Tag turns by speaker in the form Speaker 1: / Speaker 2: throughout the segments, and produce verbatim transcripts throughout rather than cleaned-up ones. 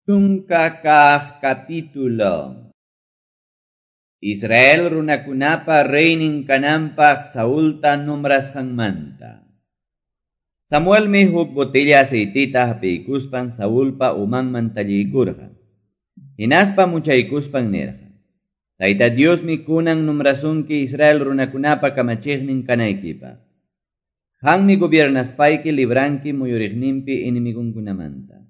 Speaker 1: Chunka kaq capítulo. Israel runakunapa reynin kananpaq Saulta nombrasqanmanta. Samuelmi huk botella aceitita hapiykuspan Saulpa umanman talliykurqa. Hinaspa muchaykuspan nirqa: Tayta Diosmi kunan nombrasunki Israel runakunapa kamachiqnin kanaykipaq. Qanmi gobiernaspayki libranki muyuriqninpi enemigunkunamanta.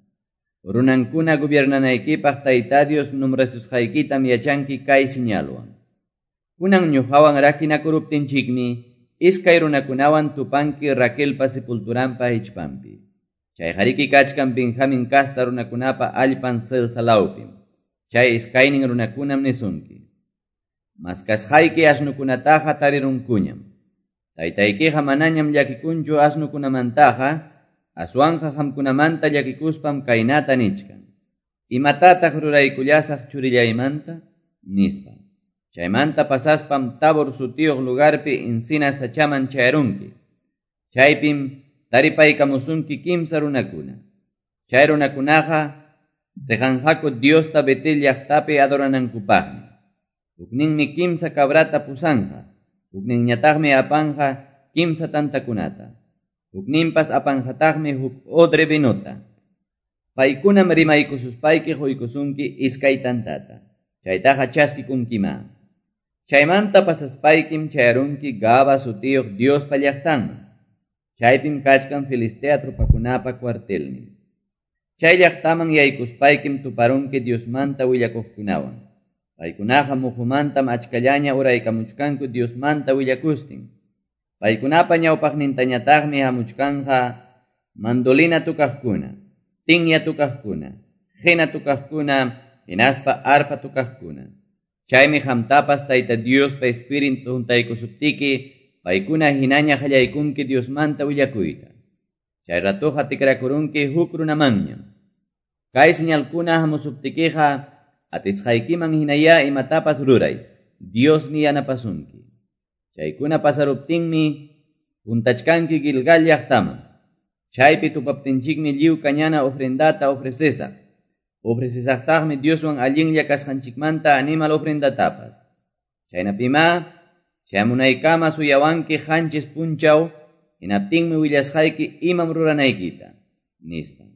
Speaker 1: Runankuna gobiernanaykipaq Tayta Dios nombrasusqaykitam yachanki kay señalwan. Kunan ñuqawan rakinakuruptinchikmi iskay runakunawan tupanki Raquelpa sepulturanpa hichpanpi. Chayqariki kachkan Benjamin kasta runakunapa allpan Selsa lawpim. Chay iskaynin runakunam nisunki: Maskasqayki asnukunataqa tarirunkuñam. Taytaykiqa manañam llakikunchu asnukunamantaqa, aswanqa qamkunamanta llakikuspam kaynata nichkan: Imatataq ruraykullasaq churillaymanta? Nispa. Chaymanta pasaspam Tabor sutiyuq lugarpi encina sachaman chayarunki. Chaypim taripaykamusunki kimsa runakuna. Chay runakunaqa riqanqaku Diosta Betel llaqtapi adoranankupaqmi. Hukninmi kimsa cabrata pusanqa, hukninñataqmi apanqa kimsa tantakunata. Hukninpas apanqataqmi huk odre vinota. Paykunam rimaykususpayki quykusunki iskay tantata. Chaytaqa chaskikunkima. Chaymanta pasaspaykim chayarunki Gaba sutiyuq Diospa llaqtanman. Chaypim kachkan Filistea tropakunapa cuartelnin. Chay llaqtaman yaykuspaykim tuparunki Diosmanta willakuqkunawan. Paykunaqa muhumantam achkallaña uraykamuchkanku Diosmanta willakustin. Paykunapa ñawpaqnintañataqmi hamuchkanqa mandolina tukaqkuna, tinya tukaqkuna, qina tukaqkuna, hinaspa arpa tukaqkuna. Chaymi qamtapas Tayta Diospa Espíritu huntaykusuptiki, paykuna hinaña qallaykunki Diosmanta willakuyta. Chay ratuqa tikrakurunki huk runamanñam. Kay señalkuna hamusuptikiqa atisqaykiman hinaya imatapas ruray, Diosmi yanapasunki. Chaykuna pasaruptinmi puntachkanki Gilgal llaqtaman. Chaypi tupaptinchikmi lliw kañana ofrendata ofrecesaq. Ofrecesaqtaqmi Dioswan allinlla kasqanchikmanta animal ofrendatapas. Chaynapima chayamunaykama suyawanki qanchis punchaw, hinaptinmi willasqayki imam ruranaykita, nispa.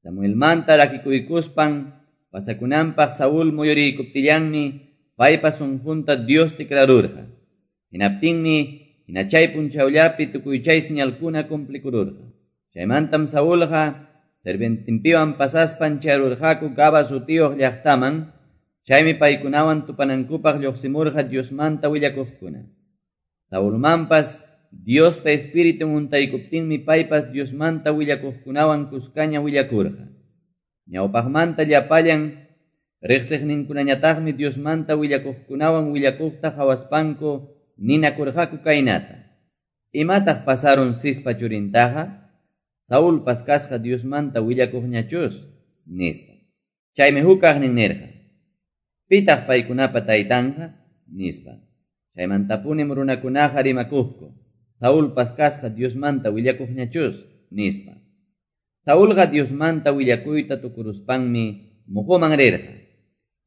Speaker 1: Samuelmanta rakikuykuspan pasakunanpaq Saúl muyuriykuptillanmi paypa sunqunta Dios tikrarurqa. Hinaptinmi hinachay punchawllapi tukuy chay señalkuna cumplikururqa. Chaymantam Saúlqa sirvientinpiwan pasaspan chayarurqaku Gaba sutiyuq llaqtaman. Chaymi paykunawan tupanankupaq lluqsimurqa Diosmanta willakuqkuna. Saulmanpas Diospa Espíritun untaykuptinmi paypas Diosmanta willakuqkunawan kuskaña willakurqa. Ñawpaqmanta llapallan riqsiqninkunañataqmi Diosmanta willakuqkunawan willakuqta qhawaspanku ninakurqaku kaynata: Imataq pasarun Cispa churintaqa? Saulpas kasqa Diosmanta willakuqñachus, nispa. Chaymi hukaqnin nirqa: Pitaq paykunapa taytanqa? Nispa. Chaymantapunim runakunaqa rimakuqku: Saulpas kasqa Diosmanta willakuqñachus, nispa. Saulqa Diosmanta willakuyta tukuruspanmi muhuman rirqa.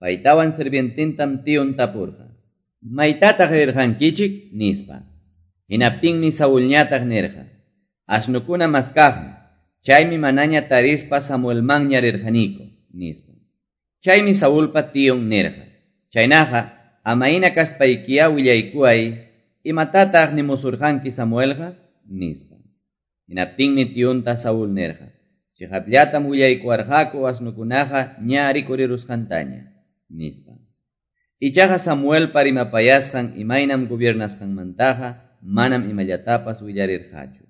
Speaker 1: Paytawan sirvientintam tion tapurqa: Maytataq rirqankichik? Nispa. Hinaptinmi Saulñataq nirqa: Asnukuna maskaqmi, chaymi manaña tarispa Samuelmanña rirqaniku, nispa. Chaymi Saulpa tion nirqa: Chaynaqa, amayna kaspaykiya willaykuay, imatataq nimusurqanki Samuelqa? Nispa. Hinaptinmi tionta Saúl nirqa: Chiqapllatam willaykuwarqaku asnukunaqa ña rikurirusqantaña, nispa. Ichaqa Samuelpa rimapayasqan imaynam gobiernasqanmantaqa manam imallatapas willarirqachu.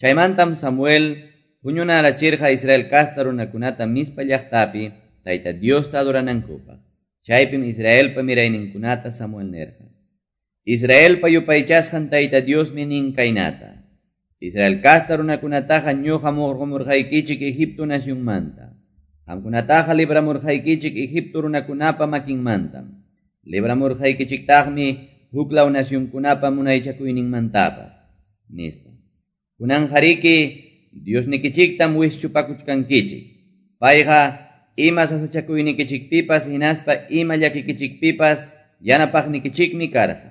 Speaker 1: Chaymantam Samuel huñunarachirqa Israel kasta runakunata Mispa llaqtapi Tayta Diosta adoranankupaq. Chaypim Israelpa mirayninkunata Samuel nirqa: Israelpa yupaychasqan Tayta Diosmi nin kaynata: Israel kasta runakunataqa ñuqa murqumurqaykichik Egipto nacionmanta. Qamkunataqa libramurqaykichik Egipto runakunapa makinmantam. Libramurqaykichiktaqmi huklaw nacionkunapa munaychakuyninmantapas, nispa. Kunanqariki Diosnikichiktam wischupakuchkankichik. Payqa ima sasachakuynikichikpipas hinaspa ima llakikichikpipas yanapaqnikichikmi karqa.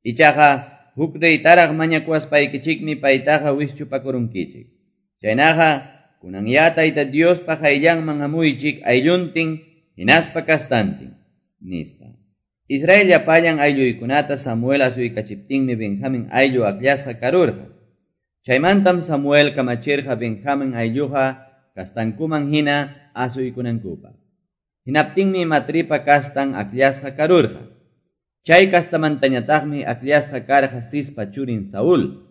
Speaker 1: Ichaqa huk reytaraq mañakuwaspaykichikmi paytaqa wischupakurunkichik. Chaynaqa kunan ya Tayta Diospa qayllanman hamuychik aylluntin hinaspa kastantin, nispa. Israel llapallan aylluykunata Samuel asuykachiptinmi Benjamin ayllu akllasqa karurqa. Chaymantam Samuel kamachirqa Benjamin aylluqa kastankuman hina asuykunankupaq. Hinaptinmi Matripa kastan akllasqa karurqa. Chay kastamantañataqmi akllasqa karqa Cispa churin Saúl.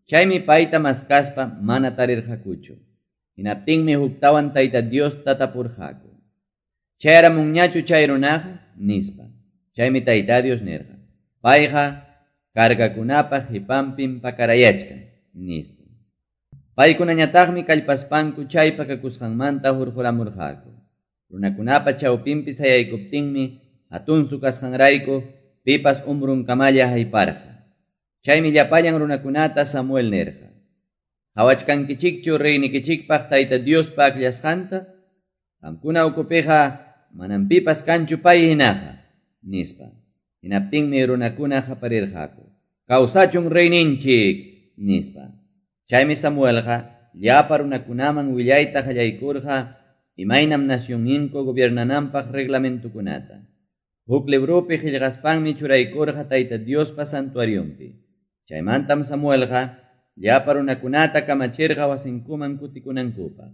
Speaker 1: Chaymi payta maskaspa mana tarirqakuchu. Hinaptinmi huktawan Tayta Diosta tapurqaku. Chayaramunñachu chay runaqa, nispa. Chaymi Tayta Dios nirqa: Payqa kargakunapa qipanpim pakarayachkan, nispa. Paykunañataqmi kallpaspanku chay pakakusqanmanta hurquramurqaku. Runakunapa chawpinpi sayaykuptinmi hatunsu kasqanrayku pipas umrunkamalla hayparqa. Chaymi llapallan runakunata Samuel nirqa: Qawachkankichikchu reynikichikpaq Tayta Diospa akllasqanta? Qamkuna ukupiqa manam pipas kanchu pay hinaqa, nispa. Hinaptinmi runakuna qaparirqaku: Kawsachun reyninchik, nispa. Chaymi Samuelqa llapa runakunaman willayta qallaykurqa imaynam nacionninku gobiernananpaq reglamentukunata. Huk libropi qillqaspanmi churaykurqa Tayta Diospa santuarionpi. Chaymantam Samuelqa llapa runakunata kamachirqa wasinkuman kutikunankupaq.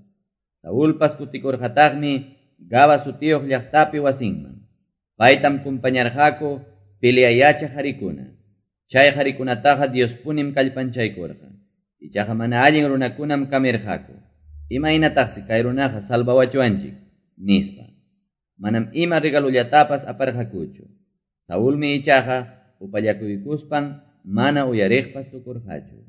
Speaker 1: Saulpas kutikurqataqmi Gaba sutiyuq llaqtapi wasinman. Paytam kumpañarqaku peleayacha harikuna. Chay harikunataqa Diospunim kallpanchaykurqa. Ichaqa mana allin runakunam kamirqaku. Imaynataqsi kay runaqa salvawachuanchik, nispa. Manam ima regalullatapas aparqakuchu. Saulmi ichaqa upallakuykuspan mana uyariqpas tukurqachu.